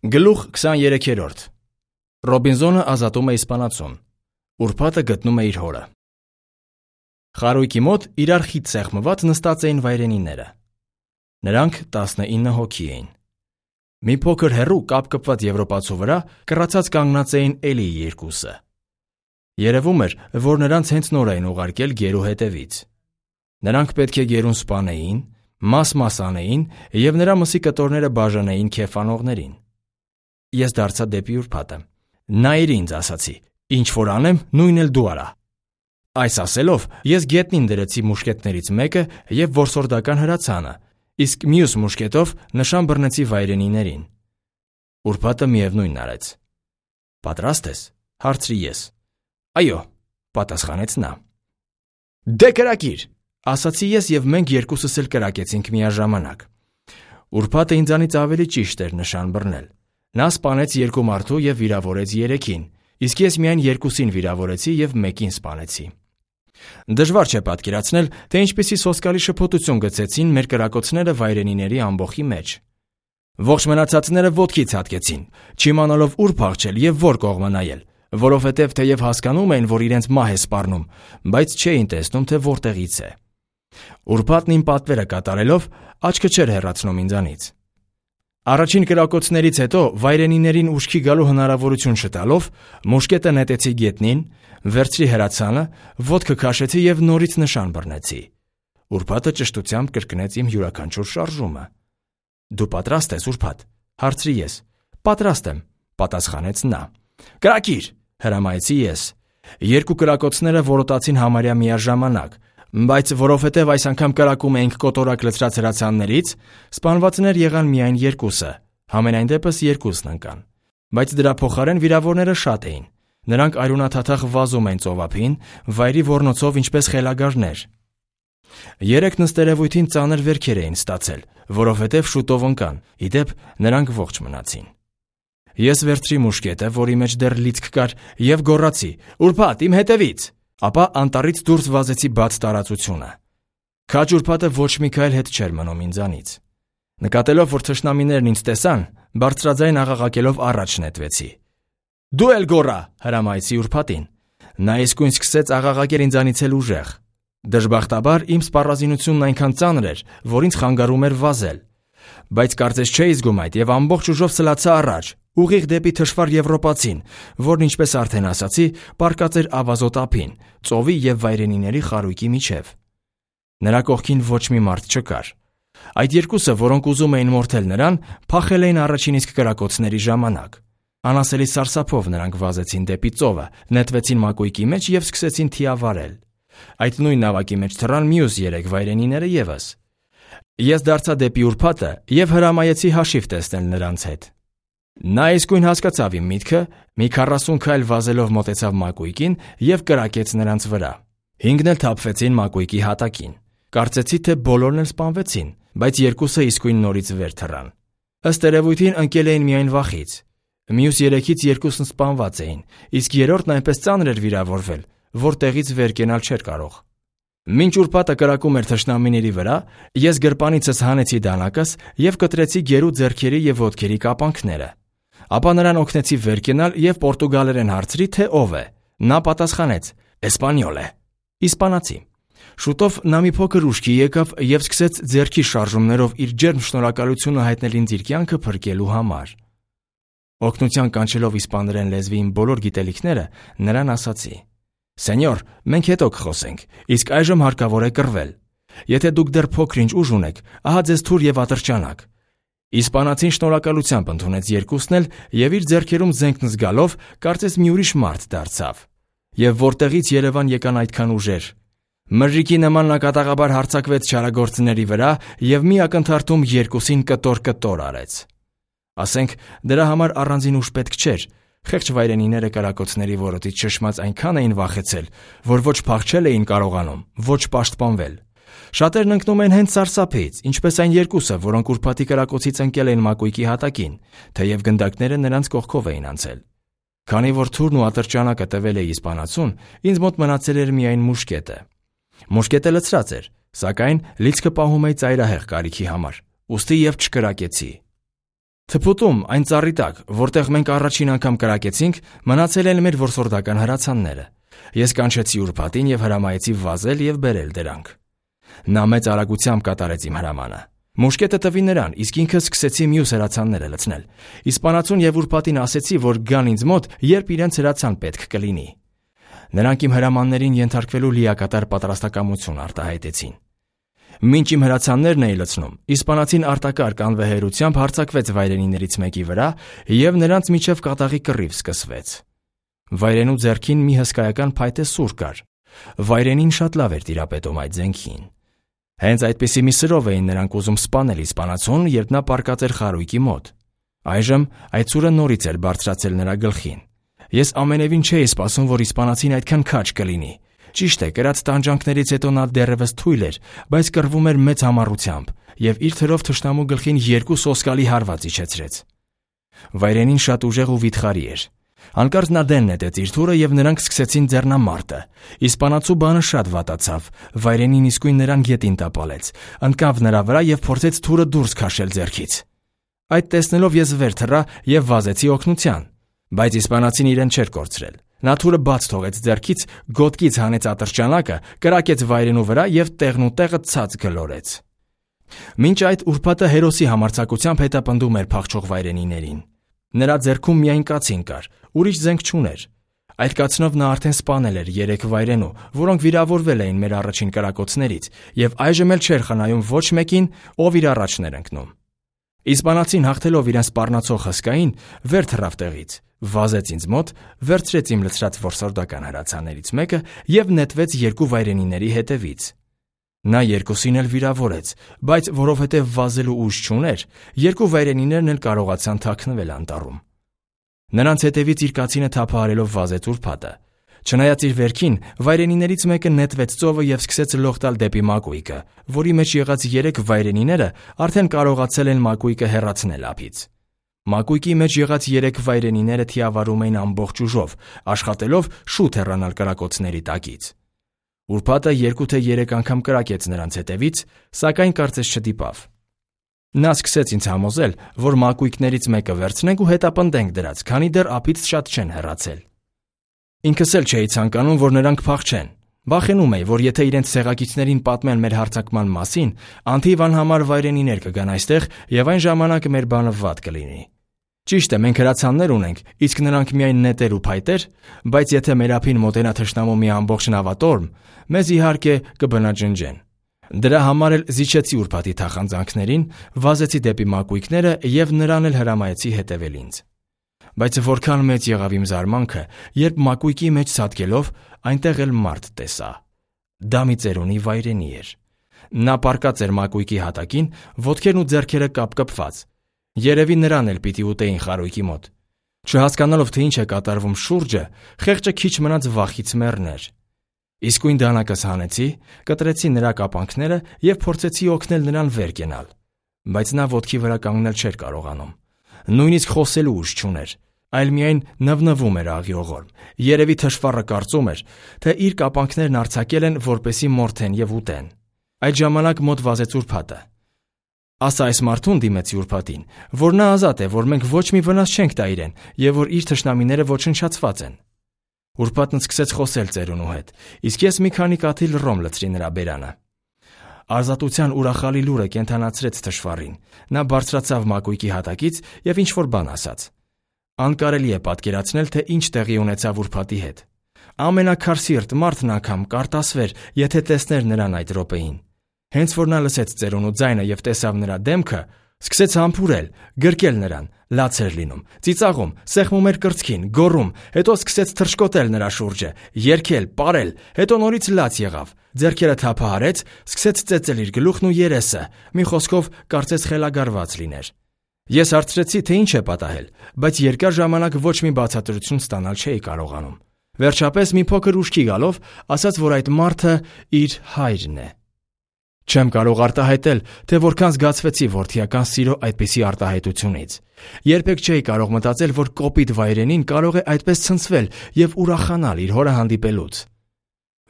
Գլուխ 23-րդ Ռոբինզոնը ազատում է իսպանացուն։ Ուրբաթը գտնում է իր հորը։ Խարույկի մոտ իրար խիտ սեղմված նստած էին վայրենիները։ Նրանք 19 հոգի էին։ Մի փոքր հեռու կապ կպված եվրոպացու վրա կռացած կանգնած էին էլի երկուսը։ Երևում էր, որ նրանց հենց նոր էին ուղարկել գերու հետևից։ Նրանք պետք է գերուն սպանեին, մաս-մաս անեին և նրա մսի կտորները բաժանեին քեֆանողներին։ Ես դարձա դեպի ուրբաթը։ Նայիր ինձ, ասացի, ինչ որ անեմ, նույնն էլ դու արա։ Այս ասելով, ես գետնին դրեցի մուշկետներից մեկը և որսորդական հրացանը, իսկ մյուս մուշկետով նշան բռնեցի վայրենիներին։ Ուրբաթը միևնույնն արեց։ Պատրաստ ես, հարցրի ես։ Այո, պատասխանեց նա։ Դե կրակիր, ասացի ես և մենք երկուսս էլ կրակեցինք միաժամանակ։ Ուրբաթը ինձանից ավելի ճիշտ էր նշան բռնել։ Նա սպանեց 2 մարդու և վիրավորեց 3-ին, իսկ ես միայն 2-ին վիրավորեցի և 1-ին սպանեցի։ Դժվար չէ պատկերացնել, թե ինչպիսի սոսկալի շփոթություն գցեցին մեր կրակոցները վայրենիների ամբոխի մեջ։ Ողջ մնացածները ոտքի ցատկեցին, չիմանալով ուր փախչել և որ կողմը նայել, որովհետև թեև հասկանում էին, որ իրենց մահ է սպառնում, բայց չէին տեսնում, թե որտեղից է։ Ուրբաթն իմ պատվերը կատարելով աչքը չէր հեռացնում ինձանից։ Առաջին կրակոցներից հետո վայրենիներին ուշքի գալու հնարավորություն չտալով մուշկետը նետեցի գետնին, վերցրի հրացանը, ոտքը քաշեցի և նորից նշան բռնեցի։ Ուրբաթը ճշտությամբ կրկնեց իմ յուրաքանչյուր շարժումը։ Դու պատրաստ ես, Ուրբաթ, հարցրի ես։ Պատրաստ եմ, պատասխանեց նա։ Կրակիր, հրամայեցի ես։ 2 կրակոցները որոտացին համարյա միաժամանակ, բայց որովհետև այս անգամ կրակում էինք կոտորակ լցրած հրացաններից, սպանվածներ եղան միայն 2-ը, համենայն դեպս 2-ն ընկան։ Բայց դրա փոխարեն վիրավորները շատ էին։ Նրանք արյունաթաթախ վազում էին ծովափին, վայրի ոռնոցով ինչպես խելագարներ։ 3 նստերևույթին ծանր վերքեր էին ստացել, որովհետև շուտով ընկան, ի դեպ նրանք ողջ մնացին։ Ես վերցրի մուշկետը, որի մեջ դեռ լիցք կար, և գոռացի. «Ուրբաթ, իմ հետևից»։ Ապա անտառից դուրս վազեցի բաց տարածությունը։ Քաջ ուրբաթը ոչ մի քայլ հետ չէր մնում ինձանից։ Նկատելով, որ թշնամիներն ինձ տեսան, բարձրաձայն աղաղակելով առաջ նետվեցի։ Դու էլ գոռա, հրամայեցի ուրբաթին։ Նա իսկույն սկսեց աղաղակել ինձանից էլ ուժեղ։ Դժբախտաբար իմ սպառազինությունն այնքան ծանր էր, որ ինձ խանգարում էր վազել։ Բայց կարծես չէի զգում այդ և ամբողջ ուժով սլացա առաջ, ուղիղ դեպի թշվառ եվրոպացին, որն, ինչպես արդեն ասացի, պառկած էր ավազոտ ափին, ծովի և վայրենիների խարույկի միջև։ Նրա կողքին ոչ մի մարդ չկար։ Այդ 2-ը, որոնք ուզում էին մորթել նրան, փախել էին առաջին իսկ կրակոցների ժամանակ։ Անասելի սարսափով նրանք վազեցին դեպի ծովը, նետվեցին մակույկի մեջ և սկսեցին թիավարել։ Այդ նույն նավակի մեջ թռան մյուս 3 վայրենիները ևս։ Ես դարձա դեպի Ուրբաթը և հրամայեցի հաշիվ տեսնել նրանց հետ։ Նա իսկույն հասկացավ իմ միտքը, մի 40 քայլ վազելով մոտեցավ մակույկին և կրակեց նրանց վրա։ 5-ն էլ թափվեցին մակույկի հատակին։ Կարծեցի, թե բոլորն էլ սպանվեցին, բայց 2-ը իսկույն նորից վեր թռան։ Ըստ երևույթին ընկել էին միայն վախից։ Մյուս 3-ից 2-ն սպանված էին, իսկ 3-րդն այնպես ծանր էր վիրավորվել, որ տեղից վեր կենալ չէր կարող։ Մինչ Ուրբաթը կրակում էր թշնամիների վրա, ես գրպանիցս հանեցի դանակս և կտրեցի գերու ձեռքերի և ոտքերի կապանքները։ Ապա նրան օգնեցի վեր կենալ և պորտուգալերեն հարցրի, թե ով է։ Նա պատասխանեց. «Էսպանյոլ է»։ Իսպանացի։ Շուտով նա մի փոքր ուշքի եկավ և սկսեց ձեռքի շարժումներով իր ջերմ շնորհակալությունը հայտնել ինձ իր կյանքը փրկելու համար։ Օգնության կանչելով իսպաներեն լեզվի իմ բոլոր գիտելիքները, նրան ասացի. «Սենյոր, մենք հետո կխոսենք, իսկ այժմ հարկավոր է կռվել։ Եթե դուք դեռ փոքր-ինչ ուժ ունեք, ահա ձեզ թուր և ատրճանակ»։ Իսպանացին շնորհակալությամբ ընդունեց 2-ն էլ և իր ձեռքերում զենքն զգալով կարծես մի ուրիշ մարդ դարձավ։ Եվ որտեղից Երևան եկան այդքան ուժեր։ Մրրիկի նման նա կատաղաբար հարձակվեց չարագործների վրա և մի ակնթարթում 2-ին կտոր արեց։ Ասենք, դրա համար առանձին ուժ պետք չէր։ Խեղճ վայրենիները կրակոցների որոտից շշմած այնքան էին վախեցել, որ ոչ փախչել էին կարողանում, ոչ պաշտպանվել։ Շատերն ընկնում են հենց սարսափից, ինչպես այն 2-ը, որոնք Ուրբաթի կրակոցից ընկել էին մակույկի հատակին, թեև գնդակները նրանց կողքով էին անցել։ Քանի որ թուրն ու ատրճանակը տվել էի իսպանացուն, ինձ մոտ մնացել էր միայն մուշկետը։ Մուշկետը լցրած էր, սակայն լիցքը պահում էի ծայրահեղ կարիքի համար, ուստի և չկրակեցի։ Թփուտում, այն ծառի տակ, որտեղ մենք առաջին անգամ կրակեցինք, մնացել են մեր որսորդական հրացանները։ Ես կանչեցի ուրբաթին եւ հրամայեցի վազել եւ բերել դրանք։ Նա մեծ արագությամբ կատարեց իմ հրամանը։ Մուշկետը տվի նրան, իսկ ինքը սկսեցի մյուս հրացանները լցնել։ Իսպանացուն եւ ուրբաթին ասեցի, որ գան ինձ մոտ, երբ իրենց հրացան պետք կլինի։ Նրանք իմ հրամաններին ենթարկվելու լիակատար պատրաստակամություն արտահայտեցին։ Մինչ իմ հրացաններն էի լցնում, իսպանացին արտակարգ անվեհերությամբ հարձակվեց վայրենիներից մեկի վրա եւ նրանց միջև կատաղի կռիվ սկսվեց։ Վայրենու ձեռքին մի հսկայական փայտե սուր կար։ Վայրենին շատ լավ էր տիրապետում այդ զենքին։ Հենց այդպիսի մի սրով էին նրանք ուզում սպանել իսպանացուն, երբ նա պառկած էր խարույկի մոտ։ Այժմ այդ սուրը նորից էր բարձրացել նրա գլխին։ Ես ամենևին չէի սպասում, որ իսպանացին այդքան քաջ կլինի։ Ճիշտ է, կրած տանջանքներից հետո նա դեռևս թույլ էր, բայց կռվում էր մեծ համառությամբ եւ իր թրով թշնամու գլխին 2 սոսկալի հարված իջեցրեց։ Վայրենին շատ ուժեղ ու վիթխարի էր։ Հանկարծ նա դեն նետեց իր թուրը եւ նրանք սկսեցին ձեռնամարտը։ Իսպանացու բանը շատ վատացավ։ Վայրենին իսկույն նրան գետին տապալեց, ընկավ նրա վրա եւ փորձեց թուրը դուրս քաշել ձեռքից։ Այդ տեսնելով ես վեր թռա եւ վազեցի օգնության, բայց իսպանացին իրեն չէր կորցրել։ Նա թուրը բաց թողեց ձեռքից, գոտկից հանեց ատրճանակը, կրակեց վայրենու վրա եւ տեղնուտեղը ցած գլորեց։ Մինչ այդ ուրբաթը հերոսի համարձակությամբ հետապնդում էր փախչող վայրենիներին։ Նրա ձեռքում միայն կացին կար, ուրիշ զենք չուներ։ Այդ կացնով նա արդեն սպանել էր 3 վայրենու, որոնք վիրավորվել էին մեր առաջին կրակոցներից, եւ այժմ էլ չէր խնայում ոչ մեկին, ով իր առաջն էր ընկնում։ Իսպանացին հաղթելով իրեն սպառնացող հսկային, վեր թռավ տեղից, վազեց ինձ մոտ, վերցրեց իմ լցրած որսորդական հրացաններից մեկը եւ նետվեց 2 վայրենիների հետևից։ Նա երկուսին էլ վիրավորեց, բայց որովհետև վազելու ուժ չուներ, 2 վայրենիներն էլ կարողացան թաքնվել անտառում։ Նրանց հետևից իր կացինը թափահարելով վազեց ուրբաթը։ Չնայած իր վերքին, վայրենիներից մեկը նետվեց ծովը եւ սկսեց լող տալ դեպի մակույկը, որի մեջ եղած 3 վայրենիները արդեն կարողացել են մակույկը հեռացնել ափից։ Մակույկի մեջ եղած 3 վայրենիները թիավարում էին ամբողջ ուժով, աշխատելով շուտ հեռանալ կրակոցների տակից։ Ուրբաթը 2 թե 3 անգամ կրակեց նրանց հետևից, սակայն կարծես չդիպավ։ Նա սկսեց ինձ համոզել, որ մակույկներից մեկը վերցնենք ու հետապնդենք դրած, քանի դեռ ափից շատ չեն հեռացել։ Ինքս էլ չէի ցանկանում, որ նրանք փախչեն։ Վախենում էի, որ եթե իրենց ցեղակիցներին պատմեն մեր հարձակման մասին, անթիվ անհամար վայրենիներ կգան այստեղ եւ այն ժամանակ մեր բանը վատ կլինի։ Ճիշտ է, մենք հրացաններ ունենք, իսկ նրանք միայն նետեր ու փայտեր, բայց եթե մեր ափին մոտենա թշնամու մի ամբողջ նավատորմ, մեզ իհարկե կբնաջնջեն։ Դրա համար էլ զիջեցի ուրբաթի թախանձանքներին, վազեցի դեպի մակույկները եւ նրան էլ հրամայեցի հետևել ինձ։ Բայց որքան մեծ եղավ իմ զարմանքը, երբ մակույկի մեջ ցատկելով այնտեղ էլ մարդ տեսա։ Դա մի ծերունի վայրենի էր։ Նա պառկած էր մակույկի հատակին, ոտքերն ու ձեռքերը կապկպված։ Երևի նրան էլ պիտի ուտեին խարույկի մոտ։ Չհասկանալով թե ինչ է կատարվում շուրջը, խեղճը քիչ մնաց վախից մեռներ։ Իսկույն դանակս հանեցի, կտրեցի նրա կապանքները եւ փորձեցի օգնել նրան վեր կենալ, բայց նա ոտքի վրա կանգնել չէր կարողանում։ Նույնիսկ խոսելու ուժ չուներ, այլ միայն նվնվում էր աղիողորմ։ Երևի թշվառը կարծում էր, թե իր կապանքներն արձակել են, որպեսի մորթեն եւ ուտեն։ Այդ ժամանակ մոտ վազեց ուրբաթը։ Ասա այս մարդուն դիմեցի ուրբաթին, որ նա ազատ է, որ մենք ոչ մի վնաս չենք տա իրեն եւ որ իր թշնամիները ոչնչացված են։ Ուրբաթն սկսեց խոսել ծերունու հետ, իսկ ես մի քանի կաթիլ ռոմ լցրի նրա բերանը։ Ազատության ուրախալի լուրը կենթանացրեց թշվառին։ Նա բարձրացավ մակույկի հատակից եւ ինչ-որ բան ասաց։ Անկարելի է պատկերացնել, թե ինչ տեղի ունեցավ ուրբաթի հետ։ Ամենակարսիրտ մարդն անգամ կարտասվեր, եթե տեսներ նրան այդ րոպեին։ Հենց որ նա լսեց ծերունու ձայնը եւ տեսավ նրա դեմքը, սկսեց համբուրել, գրկել նրան, լաց էր լինում, ծիծաղում, սեղմում էր կրծքին, գոռում, հետո սկսեց թռչկոտել նրա շուրջը, երգել, պարել, հետո նորից լաց եղավ, ձեռքերը թափահարեց, սկսեց ծեծել իր գլուխն ու երեսը, մի խոսքով կարծես խելագարված լիներ։ Ես հարցրեցի, թե ինչ է պատահել, բայց երկար ժամանակ ոչ մի բացատրություն ստանալ չէի կարողանում։ Վերջապես մի փոքր ուշքի գալով, ասաց, որ այդ մարդը իր հայրն է։ Չեմ կարող արտահայտել, թե որքան զգացվեցի որդիական սիրո այդպիսի արտահայտությունից։ Երբեք չէի կարող մտածել, որ կոպիտ վայրենին կարող է այդպես ցնցվել եւ ուրախանալ իր հորը հանդիպելուց։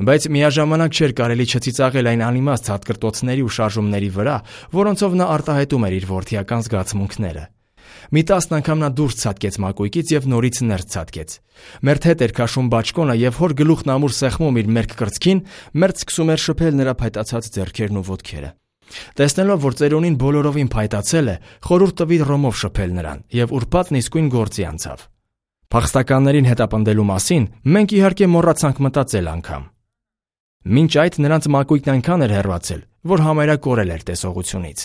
Բայց միաժամանակ չէր կարելի չծիծաղել այն անիմաստ հատկրտոցների ու շարժումների վրա, որոնցով նա արտահայտում էր իր որդիական զգացմունքները։ Մի 10 անգամ նա դուրս ցատկեց մակույկից եւ նորից ներս ցատկեց։ Մերթ հետ էր քաշում բաճկոնը եւ հոր գլուխն ամուր սեղմում իր մերկ կրծքին, մերթ սկսում էր շփել նրա փայտացած ձեռքերն ու ոտքերը։ Տեսնելով, որ ծերունին բոլորովին փայտացել է, խորհուրդ տվի ռոմով շփել նրան եւ ուրբաթն իսկույն գործի անցավ։ Փախստականներին հետապնդելու մասին մենք իհարկե մոռացանք մտածել անգամ։ Մինչ այդ նրանց մակույկն այնքան էր հեռացել, որ համարյա կորել էր տեսողությունից։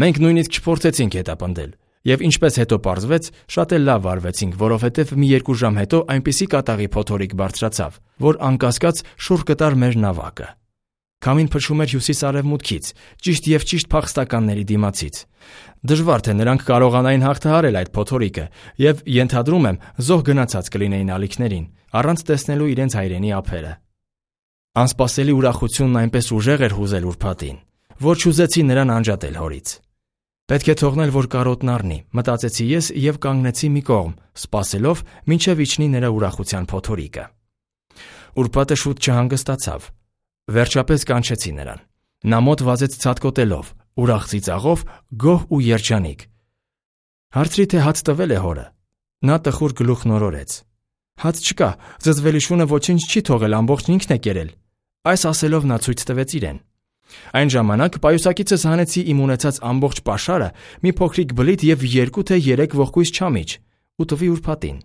Մենք նույնիսկ չփորձեցինք հետապնդել, եւ ինչպես հետո պարզվեց, շատ էլ լավ վարվեցինք, որովհետեւ մի 2 ժամ հետո այնպիսի կատաղի փոթորիկ բարձրացավ, որ անկասկած շուռ կտար մեր նավակը։ Քամին փչում էր հյուսիս-արևմուտքից, ճիշտ եւ ճիշտ փախստականների դիմացից։ Դժվար թե նրանք կարողանային հաղթահարել այդ փոթորիկը, եւ ենթադրում եմ, զոհ գնացած կլինեին ալիքներին, առանց տեսնելու իրենց հայրենի ափերը։ Անսպասելի ուրախությունն այնպես ուժեղ էր հուզել ուրբաթին, որ չուզեցի նրան անջատել հորից։ Պետք է թողնել, որ կարոտն առնի, մտածեցի ես եւ կանգնեցի մի կողմ, սպասելով, մինչեւ իջնի նրա ուրախության փոթորիկը։ Ուրբաթը շուտ չհանգստացավ։ Վերջապես կանչեցի նրան։ Նա մոտ վազեց ցատկոտելով, ուրախ ծիծաղով, գոհ ու երջանիկ։ Հարցրի, թե հաց տվել է հորը։ Նա տխուր գլուխ նորորեց։ Հաց չկա, զզվելի շունը ոչինչ չի թողել, ամբողջն ինքն է կերել։ Այս ասելով նա ցույց տվեց իրեն։ Այն ժամանակ պայուսակիցս հանեցի իմ ունեցած ամբողջ պաշարը, մի փոքրիկ բլիթ եւ 2 թե 3 ողկույզ չամիչ, ու տվի ուրբաթին։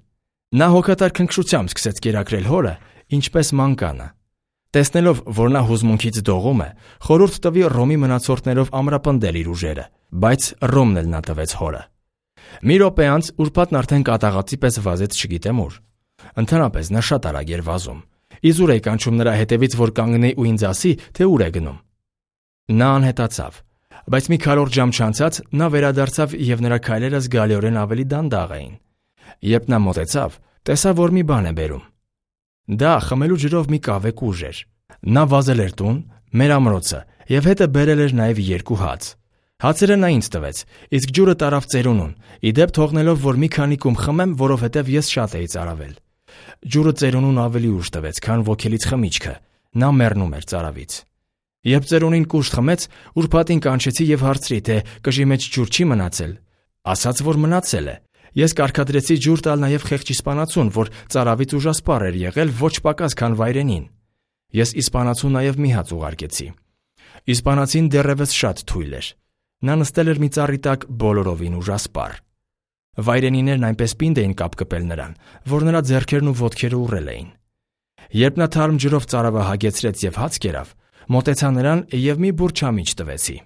Նա հոգատար քնքշությամբ սկսեց կերակրել հորը, ինչպես մանկանը։ Տեսնելով, որ նա հուզմունքից դողում է, խորհուրդ տվի ռոմի մնացորդներով ամրապնդել իր ուժերը, բայց ռոմն էլ նա տվեց հորը։ Մի րոպե անց ուրբաթն արդեն կատաղածի պես վազեց չգիտեմ ուր։ Ընդհանրապես նա շատ արագ էր վազում։ Իզուր էի կանչում նրա հետևից, որ կանգնի ու ինձ ասի, թե ուր է գնում։ Նա անհետացավ, բայց մի քառորդ ժամ չանցած նա վերադարձավ եւ նրա քայլերը զգալիորեն ավելի դանդաղ էին։ Երբ նա մոտեցավ, տեսա, որ մի բան է բերում։ Դա խմելու ջրով մի կավե կուժ էր։ Նա վազել էր տուն, մեր ամրոցը, եւ հետը բերել էր նաեւ 2 հաց։ Հացերը նա ինձ տվեց, իսկ ջուրը տարավ ծերունուն, իդեպ թողնելով, որ մի քանի կում խմեմ, որովհետեւ ես շատ էի ծարավել։ Ջուրը ծերունուն ավելի ուժ տվեց, քան ոգելից խմիչքը։ Նա մեռնում էր ծարավից։ Երբ ծերունին կուժ խմեց, ուրբաթին կանչեցի եւ հարցրի, թե կժի մեջ ջուր չի մնացել։ Ասաց, որ մնացել է։ Ես կարգադրեցի ջուր տալ նաեւ խեղճ իսպանացուն, որ ծարավից ուժասպառ էր եղել ոչ պակաս քան վայրենին։ Ես իսպանացուն նաեւ մի հաց ուղարկեցի։ Իսպանացին դեռևս շատ թույլ էր։ Նա նստել էր մի ծառի տակ բոլորովին ուժասպառ։ Վայրենիներն այնպես պինդ էին կապ կպել նրան, որ նրա ձեռքերն ու ոտքերը ուռել էին։ Երբ նա թարմ ջրով ծարավը հագեցրեց եւ հաց կերավ, մոտեցա նրան եւ մի բուռ չամիչ տվեցի։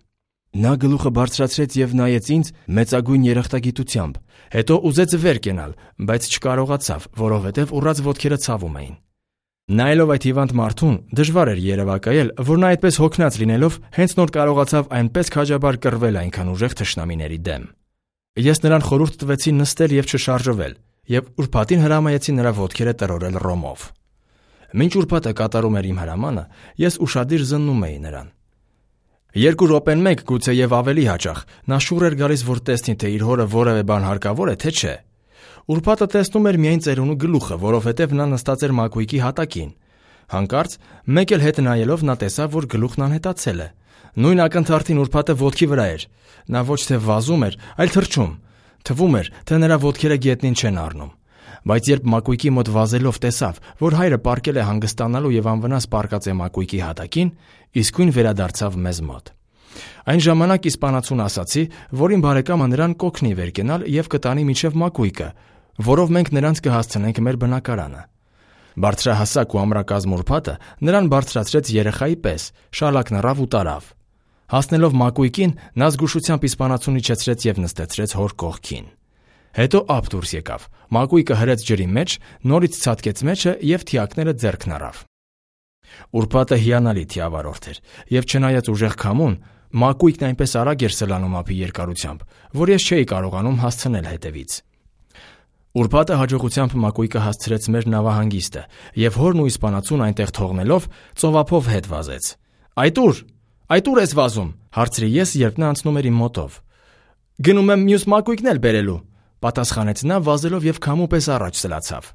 Նա գլուխը բարձրացրեց եւ նայեց ինձ մեծագույն երախտագիտությամբ, հետո ուզեց վեր կենալ, բայց չկարողացավ, որովհետեւ ուռած ոտքերը ցավում էին։ Նայելով այդ հիվանդ մարդուն, դժվար էր երևակայել, որ նա այդպես հոգնած լինելով հենց նոր կարողացավ այնպես քաջաբար կռվել այնքան ուժեղ թշնամիների դեմ։ Ես նրան խորհուրդ տվեցի նստել եւ չշարժվել, եւ ուրբաթին հրամայեցի նրա ոտքերը տրորել ռոմով։ Մինչ ուրբաթը կատարում էր իմ հրամանը, ես ուշադիր զննում էի նրան։ 2 րոպեն մեկ գուցե եւ ավելի հաճախ նա շուռ էր գալիս, որ տեսնի, թե իր հորը որևէ բան հարկավոր է, թե չէ։ Ուրբաթը տեսնում էր միայն ծերունու գլուխը, որովհետեւ նա նստած էր մակույկի հատակին։ Հանկարծ մեկ էլ հետ նայելով նա տեսավ, որ գլուխն անհետացել է։ Նույն ակնթարթին ուրբաթը ոտքի վրա էր։ Նա ոչ թե վազում էր, այլ թռչում։ Թվում էր, թե նրա ոտքերը գետնին չեն առնում։ Բայց երբ մակույկի մոտ վազելով տեսավ, որ հայրը պառկել է հանգստանալու եւ անվնաս պառկած է մակույկի հատակին, իսկույն վերադարձավ մեզ մոտ։ Այն ժամանակ իսպանացուն ասացի, որ իմ բարեկամը նրան կօգնի վեր կենալ եւ կտանի մինչեւ մակույկը, որով մենք նրանց կհասցնենք մեր բնակարանը։ Բարձրահասակ ու ամրակազմ ուրբաթը նրան բարձրացրեց երեխայի պես, շալակն առավ ու տարավ։ Հասնելով մակույկին, նա զգուշությամբ իսպանացուն իջեցրեց եւ նստեցրեց հոր կողքին։ Հետո ափ դուրս եկավ, մակույկը հրեց ջրի մեջ, նորից ցատկեց մեջը եւ թիակները ձեռքն առավ։ Ուրբաթը հիանալի թիավարորդ էր, եւ չնայած ուժեղ քամուն, մակույկն այնպես արագ էր սլանում ափի երկարությամբ, որ ես չէի կարողանում հասցնել հետևից։ Ուրբաթը հաջողությամբ մակույկը հասցրեց մեր նավահանգիստը, եւ հորն ու իսպանացուն այնտեղ թողնելով ծովափով հետ վազեց։ Այդ ուր ես վազում, հարցրի ես, երբ նա անցնում էր իմ մոտով։ Գնում եմ մյուս մակույկն էլ բերելու, պատասխանեց նա վազելով եւ քամու պես առաջ սլացավ։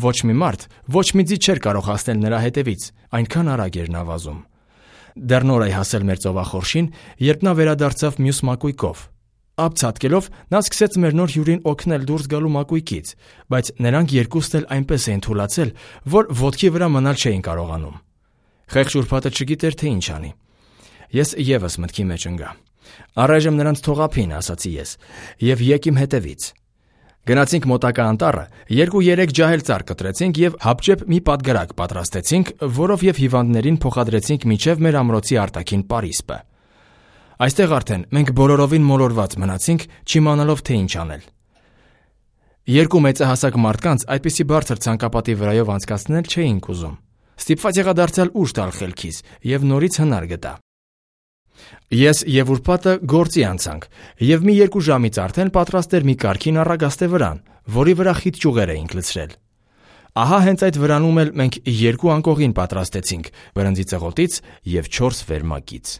Ոչ մի մարդ, ոչ մի ձի չէր կարող հասնել նրա հետևից, այնքան արագ էր նա վազում։ Դեռ նոր էի հասել մեր ծովախորշին, երբ նա վերադարձավ մյուս մակույկով։ Ափ ցատկելով նա սկսեց մեր նոր հյուրին օգնել դուրս գալու մակույկից, բայց նրանք երկուսն էլ այնպես էին թուլացել, որ ոտքի վրա մնալ չէին կարողանում։ Խեղճ ուրբաթը չգիտեր, թե ինչ անի։ Ես եւս մտքի մեջ ընկա։ Առայժմ նրանց թողափին, ասացի ես, եւ եկ իմ հետևից։ Գնացինք մոտակա անտառը, 2-3 ջահել ծառ կտրեցինք եւ հապճեպ մի պատգարակ պատրաստեցինք, որով եւ հիվանդներին փոխադրեցինք միջև մեր ամրոցի արտաքին պարիսպը։ Այստեղ արդեն մենք բոլորովին մոլորված մնացինք, չիմանալով թե ինչ անել։ Երկու մեծահասակ մարդկանց այդպիսի բարձր ցանկապատի վրայով անցկացնել չէինք ուզում։ Ստիպված եղա դարձյալ ուժ տալ խելքիս եւ նորից հնար գտա։ Ես եւ ուրբաթը գործի անցանք եւ մի 2 ժամից արդեն պատրաստ էր մի կարգին առագաստե վրան, որի վրա խիտ ճյուղեր էինք լցրել։ Ահա հենց այդ վրանում էլ մենք 2 անկողին պատրաստեցինք, բրնձի ծղոտից եւ 4 վերմակից։